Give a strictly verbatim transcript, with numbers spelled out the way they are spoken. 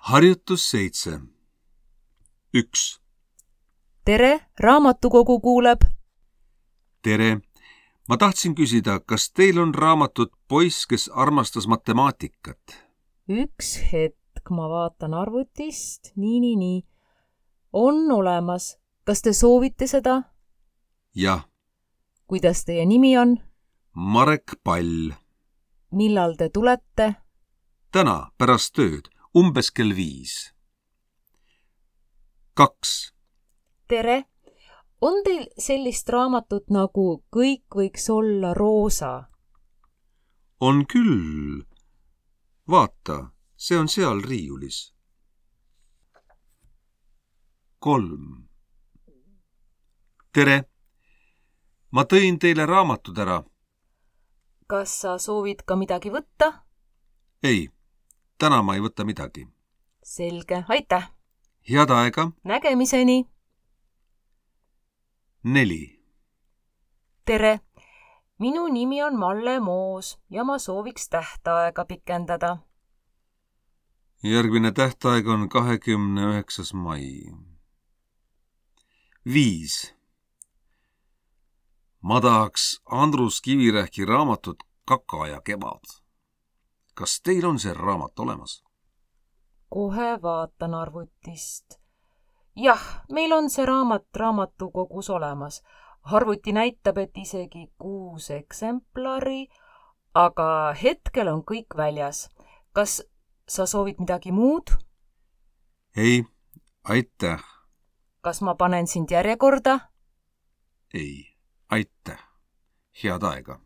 Harjutus seitse. Üks. Tere, raamatukogu kuuleb. Tere. Ma tahtsin küsida, kas teil on raamatut Poiss, kes armastas matemaatikat? Üks hetk, ma vaatan arvutist. Nii, nii, nii. On olemas. Kas te soovite seda? Jah. Kuidas teie nimi on? Marek Pall. Millal te tulete? Täna pärast tööd, umbes kell viis. Kaks. Tere. On teil sellist raamatut nagu Kõik võiks olla roosa? On küll. Vaata, see on seal riiulis. Kolm. Tere. Ma tõin teile raamatud ära. Kas sa soovid ka midagi võtta? Ei, täna ma ei võta midagi. Selge, aitäh. Head aega. Nägemiseni. Neli. Tere. Minu nimi on Malle Moos ja ma sooviks tähtaega pikendada. Järgmine tähtaeg on kahekümne üheksas mai. Viis. Ma tahaks Andrus Kivirähki raamatut Kaka ja kevad. Kas teil on see raamat olemas? Kohe vaatan arvutist. Jah, meil on see raamat raamatukogus olemas. Arvuti näitab, et isegi kuus eksemplari, aga hetkel on kõik väljas. Kas sa soovid midagi muud? Ei, aitäh. Kas ma panen sind järjekorda? Ei, aitäh. Head aega.